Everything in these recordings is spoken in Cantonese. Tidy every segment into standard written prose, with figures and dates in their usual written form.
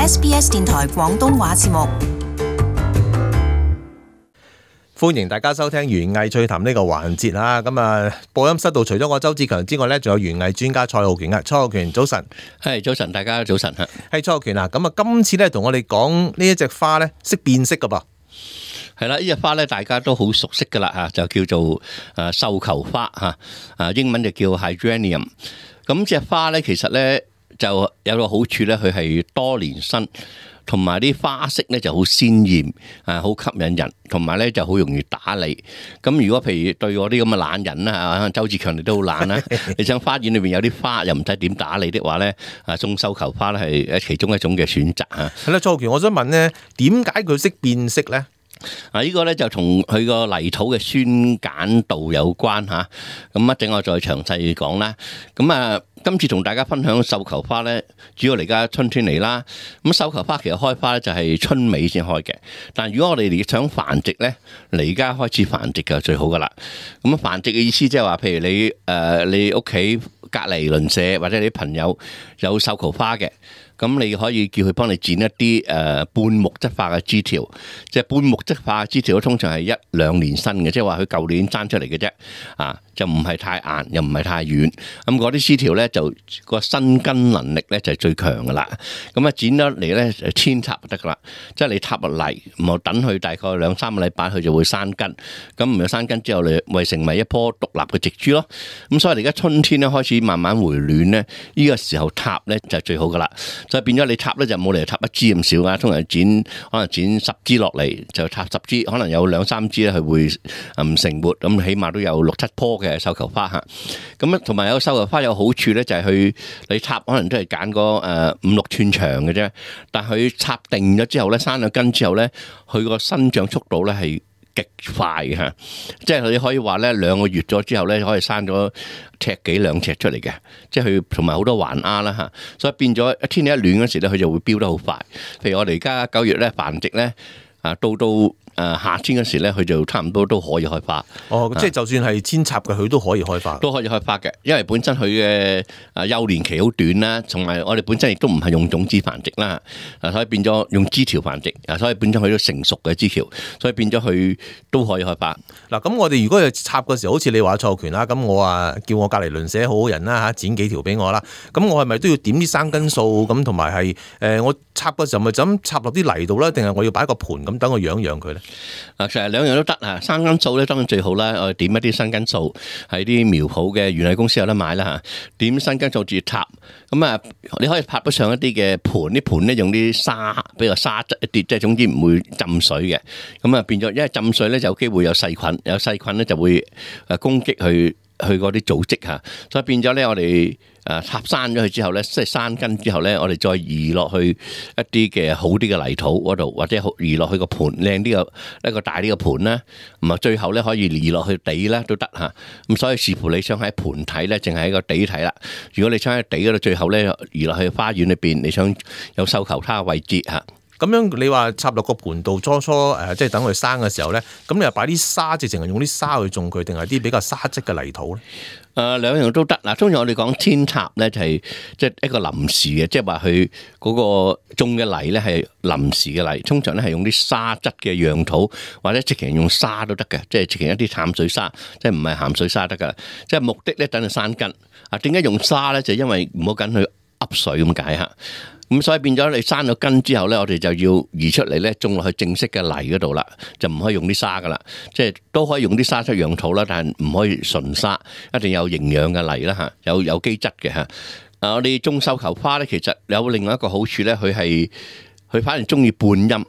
SBS 電台廣東話節目。歡迎大家收聽園藝趣談呢個環節啦。咁啊，播音室度除咗我周志強之外咧，仲有園藝專家蔡浩權啊。蔡浩權，早晨。係早晨，大家早晨嚇。係蔡浩權啊。咁啊，今次咧同我哋講呢一隻花咧，識變色噶噃。係啦，呢隻花咧大家都好熟悉噶啦嚇，就叫做繡球花嚇，英文就叫 Hydraneum。咁隻花咧其實咧就有個好處咧，佢係多年生。同埋啲花色咧就好鮮豔，好吸引人，同埋咧就好容易打理。咁如果譬如對我啲咁嘅懶人啦，周志強你都好懶啦，你想花園裏邊有啲花又唔使點打理的話咧，種繡球花咧係其中一種嘅選擇啊。係啦，蔡浩權，我想問咧，點解佢識變色咧？呢個咧就同佢個泥土嘅酸鹼度有關嚇。咁一陣我再詳細講啦。咁今次同大家分享繡球花咧，主要嚟家春天嚟啦。咁繡球花其實開花咧就係春尾先開嘅。但如果我哋想繁殖咧，嚟家開始繁殖就最好噶啦。咁繁殖嘅意思即係話，譬如你屋企隔離鄰舍或者你啲朋友有繡球花嘅。咁你可以叫佢幫你剪一啲半木質化嘅枝條，即係半木質化嘅枝條通常係1-2年生嘅，即係話佢舊年生出嚟嘅啫，就唔係太硬又唔係太軟，咁嗰啲枝條咧就個生根能力咧就係最強噶啦。咁剪咗嚟咧就扦插就得噶啦，即係你插落嚟，然後等佢大概2-3個禮拜，佢就會生根。咁唔係生根之後，你咪成為一棵獨立嘅植株咯。咁所以而家春天咧開始慢慢回暖咧，呢個時候插咧就最好噶啦。所以變咗你插咧就冇理由插一支咁少啊，通常可能剪10支落嚟就插10支，可能有2-3支咧佢會唔成活，咁起碼都有6-7棵嘅繡球花嚇。咁同埋有繡球花有好處咧，就係你插可能都係揀個5-6寸長嘅啫，但係佢插定咗之後咧，生咗根之後咧，佢個生長速度咧係極快嘅嚇，即係你可以話咧2個月咗之後咧，可以生咗1尺幾2尺出嚟嘅，即係佢同埋好多環丫啦嚇，所以變咗天氣一暖嗰時咧，佢就會飆得好快。譬如我哋而家9月咧繁殖咧，到夏天嗰時咧，佢就差唔多都可以開花。哦，即係就算係扦插嘅，佢都可以開花。都可以開花嘅，因為本身佢嘅幼年期好短啦，同埋我哋本身亦都唔係用種子繁殖啦，所以變咗用枝條繁殖，所以變咗佢都成熟嘅枝條，所以變咗佢都可以開花。嗱，咁我哋如果係插嘅時候，好似你話蔡浩權啦，咁我叫我隔離鄰舍好好人啦嚇，剪幾條俾我啦，咁我係咪都要點啲生根素咁，同埋係我插嘅時候咪就咁插落啲泥度啦，定係我要擺個盤咁等我養佢咧？其實2樣都得啊！生根素咧當然最好啦，我哋點一啲生根素喺啲苗圃嘅園藝公司有得買啦嚇，點生根素自插。咁你可以拍得上一啲嘅盤，啲盤咧用啲沙比較沙質一啲，即係總之唔會浸水嘅。咁變咗，因為浸水咧就有機會有細菌，有細菌咧就會攻擊去嗰啲組織嚇，所以變咗咧我哋插生咗佢之後咧，即係生根之後咧，我哋再移落去一啲嘅好啲嘅泥土嗰度，或者移落去個盤靚啲嘅一個大啲嘅盤啦，咁啊最後咧可以移落去地啦都得嚇。咁所以視乎你想喺盤體咧，淨係喺個地體啦。如果你想喺地嗰度，最後咧移落去花園裏邊，你想有繡球花嘅位置嚇。咁樣你話插落個盤度，初即係等佢生嘅時候咧，咁你又擺啲沙，直情係用啲沙去種佢，定係啲比較沙質嘅泥土咧？兩樣都得嗱。通常我哋講扦插咧，就係即係一個臨時嘅，即係話佢嗰個種嘅泥咧係臨時嘅泥，通常咧係用啲沙質嘅樣土，或者直情用沙都得嘅，即係直情一啲淡水沙，即係唔係鹹水沙得噶。即係目的咧等佢生根。點解用沙咧？就因為唔好緊佢噏水咁解嚇。咁所以變咗你生咗根之後咧，我哋就要移出嚟咧，種落去正式嘅泥嗰度啦，就唔可以用啲沙噶啦，即係都可以用啲沙質養土啦，但係唔可以純沙，一定有營養嘅泥啦嚇，有機質嘅嚇。我哋種繡球花咧，其實有另外一個好處咧，佢反而中意半陰。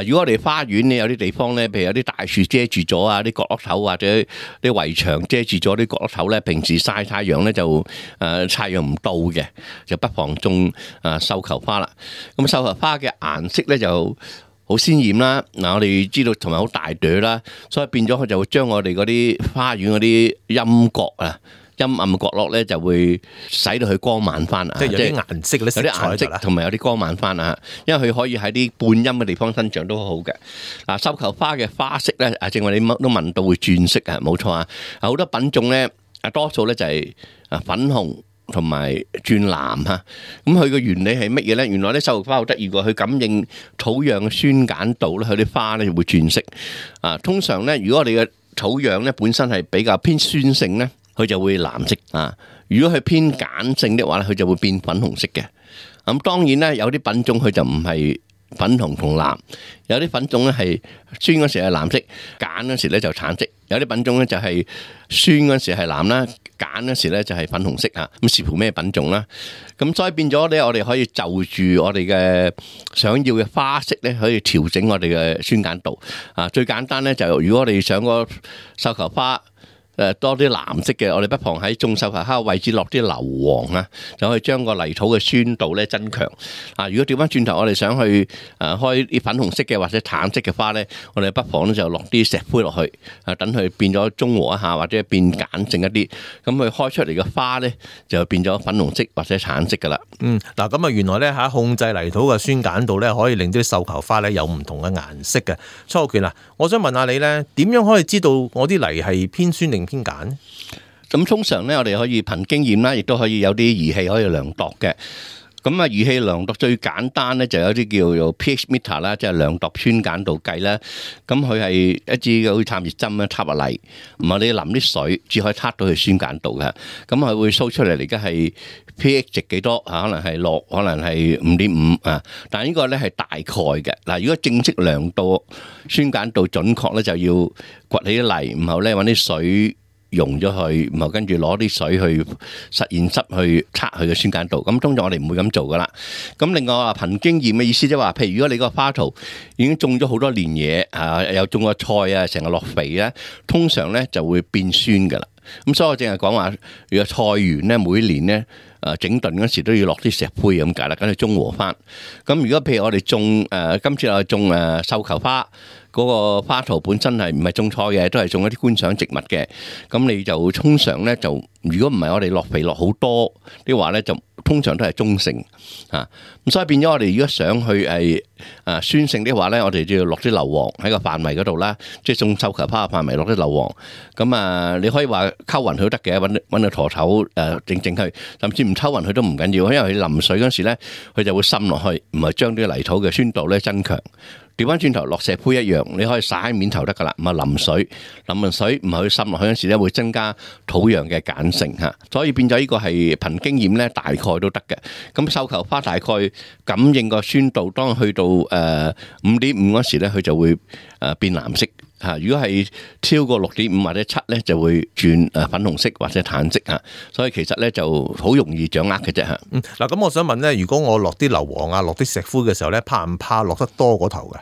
如果我哋花園咧有啲地方咧，譬如有啲大樹遮住咗啊，啲角落頭或者啲圍牆遮住咗啲角落頭咧，平時曬太陽咧就太陽唔到嘅，就不妨種繡球花啦。咁繡球花嘅顏色咧就好鮮豔啦。我哋知道同埋好大朵啦，所以變咗佢就會將我哋嗰啲花園嗰啲陰角啊，陰暗嘅角落咧就會使到佢光猛翻啊！即係有啲顏色咧，有啲顏色同埋有啲光猛翻啊！因為佢可以喺啲半陰嘅地方生長都好好嘅。繡球花嘅花色咧，正話你都問到會轉色啊，冇錯啊！好多品種咧，多數咧就係粉紅同埋轉藍嚇。咁佢個原理係乜嘢咧？原來咧繡球花好得意喎，佢感應土壤嘅酸鹼度咧，佢啲花咧會轉色。通常咧，如果我哋嘅土壤咧本身係比較偏酸性咧，佢就會藍色啊。如果佢偏鹼性的話咧，佢就會變粉紅色嘅。咁當然咧，有啲品種佢就唔係粉紅同藍，有啲品種咧係酸嗰時係藍色，鹼嗰時咧就橙色。有啲品種咧就係酸嗰時係藍啦，鹼嗰時咧就係粉紅色啊。咁視乎咩品種啦。咁所以變咗咧，我哋可以就住我哋嘅想要嘅花色咧，可以調整我哋嘅酸鹼度啊。最簡單咧就如果我哋想個繡球花多啲藍色嘅，我哋不妨喺種繡球花位置落啲硫磺啊，就可以將個泥土嘅酸度咧增強。如果調翻轉頭，我哋想去開啲粉紅色嘅或者橙色嘅花咧，我哋不妨咧就落啲石灰落去，等佢變咗中和一下或者變鹼性一啲，咁佢開出嚟嘅花咧就變咗粉紅色或者橙色噶啦。嗱咁啊，原來咧控制泥土嘅酸鹼度咧，可以令到啲繡球花咧有唔同嘅顏色嘅。蔡浩權啊，我想問下你咧，點樣可以知道我啲泥係偏酸定偏鹼？咁通常咧，我哋可以憑經驗啦，亦都可以有啲儀器可以量度嘅。咁儀器量度最簡單咧，就有啲叫做 pH meter 啦，即係量度酸鹼度計啦。咁佢係一支好似探熱針咧，插入嚟，唔係你淋啲水，只可以測到佢酸鹼度嘅。咁佢會 show 出嚟，而家係 pH 值幾多啊？可能係6，可能係5.5啊。但係呢個咧係大概嘅。嗱，如果正式量度酸鹼度準確咧，就要掘起啲泥，然後咧揾啲水溶咗佢，然後跟住攞啲水去實驗室去測佢嘅酸鹼度。咁通常我哋唔會咁做噶啦。咁另外話憑經驗嘅意思即係話，譬如如果你個花槽已經種咗好多年嘢，又種過菜啊，成日落肥咧，通常咧就會變酸噶啦。咁所以我淨係講話，如果菜園咧每年咧整頓嗰時都要落啲石灰咁解啦，咁去中和翻。咁如果譬如我哋種今次我哋種繡球花。嗰個花槽本身係唔係種菜嘅，都係種一啲觀賞植物嘅。咁你就通常咧就，如果唔係我哋落肥落好多啲話咧，就通常都係中性嚇。咁所以變咗我哋如果想去酸性啲話咧，我哋就要落啲硫磺喺個範圍嗰度啦，即係種繡球花嘅範圍落啲硫磺。咁你可以話溝勻佢都得嘅，揾個陀頭整佢，甚至唔溝勻佢都唔緊要，因為佢淋水嗰時咧，佢就會滲落去，唔係將啲泥土嘅酸度咧增強。調翻轉頭落石灰一樣，你可以灑喺面頭得噶啦，唔係淋水，淋完水唔係去滲落去嗰時咧，會增加土壤嘅鹼性嚇，所以變咗呢個係憑經驗咧，大概都得嘅。咁繡球花大概感應個酸度，當去到5.5嗰時咧，佢就會變藍色。如果係超過6.5或者7咧，就會轉粉紅色或者淡色嚇，所以其實咧就好容易掌握嘅啫嚇。嗱，咁我想問咧，如果我落啲硫磺啊，落啲石灰嘅時候咧，怕唔怕落得多嗰頭嘅？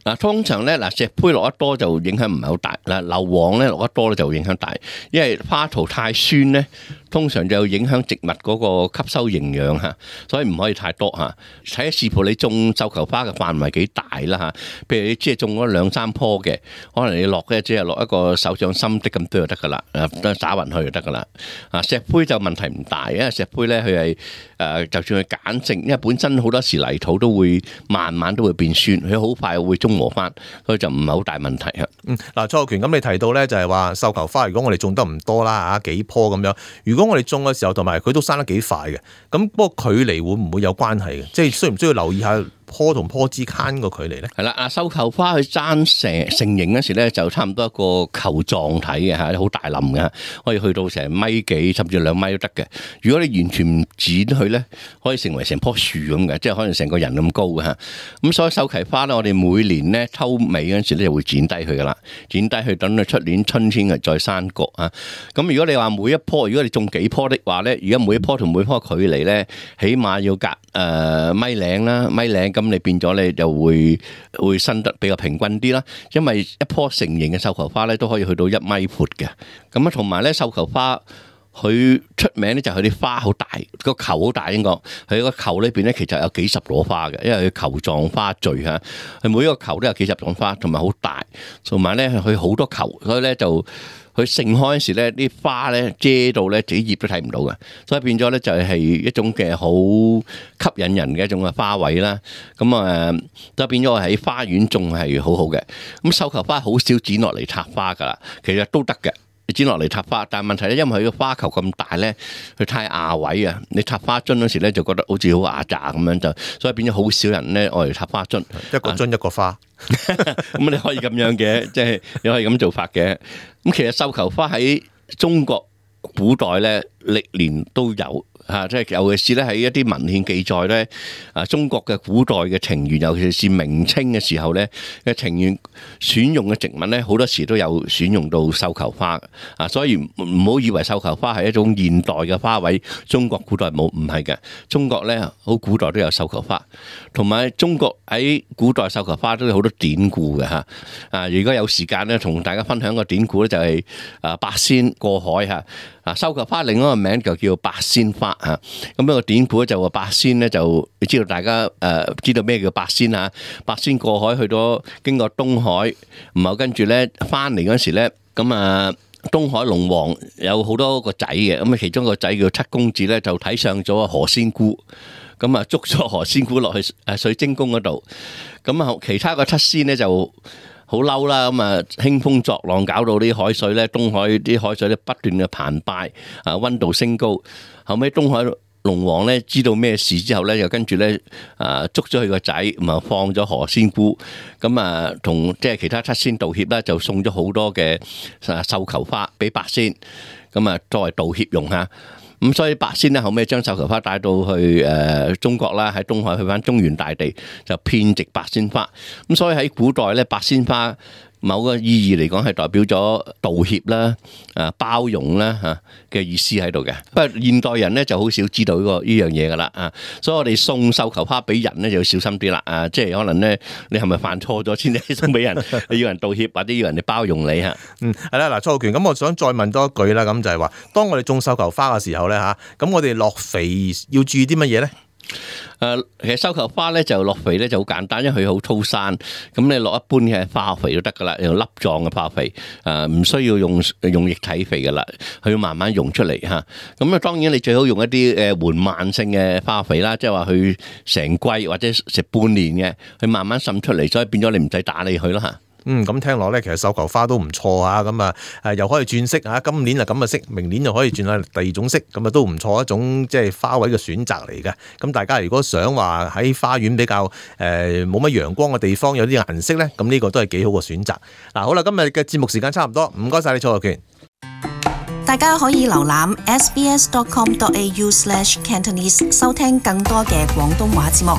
嗱，通常咧石灰落得多就影響唔係好大，硫磺咧落得多咧就影響大，因為花槽太酸咧，通常就影響植物嗰個吸收營養嚇，所以唔可以太多嚇。睇下視乎你種繡球花嘅範圍幾大啦嚇，譬如你即係種咗2-3棵嘅，可能你落嘅只係落一個手掌心的咁多就得噶啦，打勻去就得噶啦。石灰就問題唔大，因為石灰咧佢係就算係鹼性，因為本身好多時泥土都會慢慢都會變酸，佢好快會中和翻，所以就唔係好大問題啊。嗱，蔡浩權，咁你提到咧就係話繡球花，如果我哋種得唔多啦幾棵咁樣，如果我哋種嘅時候同埋佢都生得幾快嘅，咁不過距離會唔會有關係嘅？即係需唔需要留意下棵同棵之間個距離咧？係啦，繡球花佢生成型嗰時咧，就差唔多一個球狀體嘅嚇，好大冧嘅，可以去到成1.幾米甚至2米都得嘅。如果你完全唔剪佢咧，可以成為成棵樹咁嘅，即係可能成個人咁高嘅嚇。咁所以繡球花咧，我哋每年咧秋尾嗰時咧就會剪低佢噶啦，剪低佢等佢出年春天嘅再生角啊。咁如果你話每一棵，如果你種幾棵的話咧，而家每一棵同每一棵距離咧，起碼要隔米零啦，米零。咁你變咗你就會生得比較平均啲啦，因為一棵成型嘅繡球花咧都可以去到1米闊嘅。咁同埋咧繡球花佢出名咧就係佢啲花好大，個球好大，應該佢個球裏邊咧其實有幾十朵花嘅，因為佢球狀花序嚇，佢每一個球都有幾十朵花，同埋好大，同埋咧佢好多球，所以咧就佢盛開嗰時咧啲花咧遮到咧自己葉都睇唔到嘅，所以變咗咧就係一種嘅好吸引人嘅一種嘅花卉啦。咁就變咗喺花園種係好好嘅。咁繡球花好少剪落嚟插花噶啦，其實都得嘅。剪落嚟插花，但係問題咧，因為佢個花球咁大咧，佢太壓位啊！你插花樽嗰時咧，就覺得好似好壓榨咁樣，就所以變咗好少人咧愛嚟插花樽，一個樽一個花。咁你可以咁樣嘅，即係你可以咁做法嘅。咁其實繡球花喺中國古代咧，歷年都有。即係尤其是咧喺一啲文獻記載咧，中國嘅古代嘅庭園，尤其是明清嘅時候咧嘅庭園選用嘅植物咧，好多時都有選用到繡球花。所以唔好以為繡球花係一種現代嘅花卉，中國古代冇，唔係嘅。中國咧好古代都有繡球花，同埋中國喺古代繡球花都有好多典故嘅嚇。如果有時間咧，同大家分享個典故咧，就係八仙過海嚇。繡球花另一個名就叫八仙花嚇，咁一個典故咧就話八仙咧就你知道大家知道咩叫八仙嚇？八仙過海去到經過東海，然後跟住咧翻嚟嗰時咧，咁東海龍王有好多個仔嘅，咁其中一個仔叫七公子咧就睇上咗何仙姑，咁捉咗何仙姑落去水晶宮嗰度，咁其他個七仙咧就好嬲啦，咁興風作浪，搞到啲海水咧，東海啲海水咧不斷嘅澎湃，溫度升高。後尾東海龍王咧知道咩事之後咧，又跟住咧捉咗佢個仔，咁啊放咗何仙姑，咁同即係其他七仙道歉啦，就送咗好多嘅繡球花俾八仙，咁作為道歉用嚇。咁所以八仙咧後尾將繡球花帶到去中國啦，喺東海去翻中原大地就遍植八仙花。咁所以喺古代咧，八仙花某個意義嚟講係代表咗道歉啦、包容啦嚇嘅意思喺度嘅。不過現代人咧就好少知道呢樣嘢噶啦，所以我哋送繡球花俾人咧就要小心啲啦，即係可能咧你係咪犯錯咗先至送俾人？你要人道歉或者要人哋包容你嚇。係啦，嗱，蔡浩權，咁我想再問多一句啦，咁就係話，當我哋種繡球花嘅時候咧嚇，咁我哋落肥要注意啲乜嘢咧？其實繡球花咧就落肥咧就好簡單，因為佢好粗生，咁你落一般嘅化學肥都得噶啦，用粒狀嘅化學肥，唔需要用液體肥噶啦，佢要慢慢溶出嚟嚇。咁當然你最好用一啲緩慢性嘅化學肥啦，即係話佢成季或者食半年嘅，佢慢慢滲出嚟，所以變咗你唔使打理佢咯嚇。咁聽落咧，其實繡球花都唔錯啊，咁又可以轉色啊，今年就咁嘅色，明年就可以轉下第二種色，咁都唔錯，一種即係花卉嘅選擇嚟嘅。咁大家如果想話喺花園比較冇乜陽光嘅地方有啲顏色咧，咁呢個都係幾好嘅選擇。嗱，好啦，今日嘅節目時間差唔多，唔該晒你蔡浩權。大家可以瀏覽 sbs.com.au/cantonese 收聽更多嘅廣東話節目。